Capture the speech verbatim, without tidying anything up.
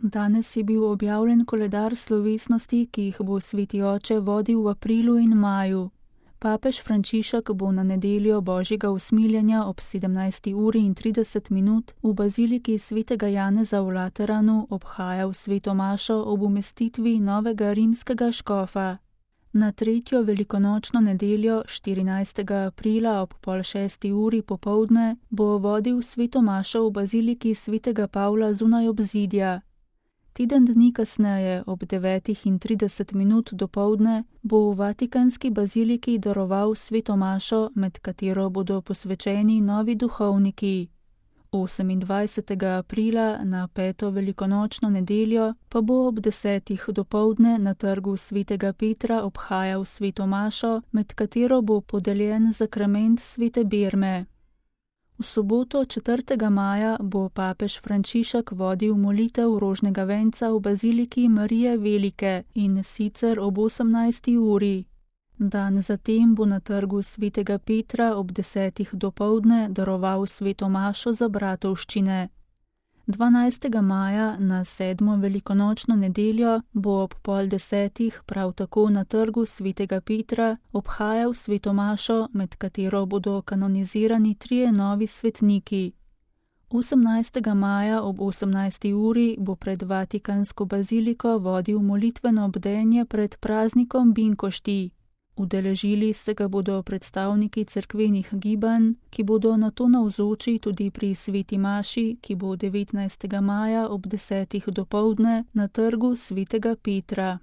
Danes je bil objavljen koledar slovesnosti, ki jih bo sveti oče vodil v aprilu in maju. Papež Frančišek bo na nedeljo božjega usmiljenja ob sedemnajsti uri in trideset minut v baziliki svetega Janeza v Lateranu obhajal sveto mašo ob umestitvi novega rimskega škofa. Na tretjo velikonočno nedeljo, štirinajstega aprila ob pol šesti uri popoldne, bo vodil sveto mašo v baziliki svetega Pavla zunaj obzidja. Teden dni kasneje, ob devetih in trideset minut dopoldne, bo v vatikanski baziliki daroval sveto mašo, med katero bodo posvečeni novi duhovniki. osemindvajsetega aprila na peto velikonočno nedeljo pa bo ob desetih dopoldne na trgu svetega Petra obhajal sveto mašo, med katero bo podeljen zakrament svete berme. V soboto četrtega maja bo papež Frančišek vodil molitev rožnega venca v baziliki Marije Velike, in sicer ob osemnajsti uri. Dan zatem bo na trgu svetega Petra ob desetih dopoldne daroval sveto mašo za bratovščine. dvanajstega maja na sedmo velikonočno nedeljo bo ob pol desetih prav tako na trgu svetega Petra obhajal sveto mašo, med katero bodo kanonizirani trije novi svetniki. osemnajstega maja ob osemnajsti uri bo pred vatikansko baziliko vodil molitveno bdenje pred praznikom binkošti. Udeležili se ga bodo predstavniki cerkvenih gibanj, ki bodo nato navzoči tudi pri sveti maši, ki bo devetnajstega maja ob desetih dopoldne na trgu svetega Petra.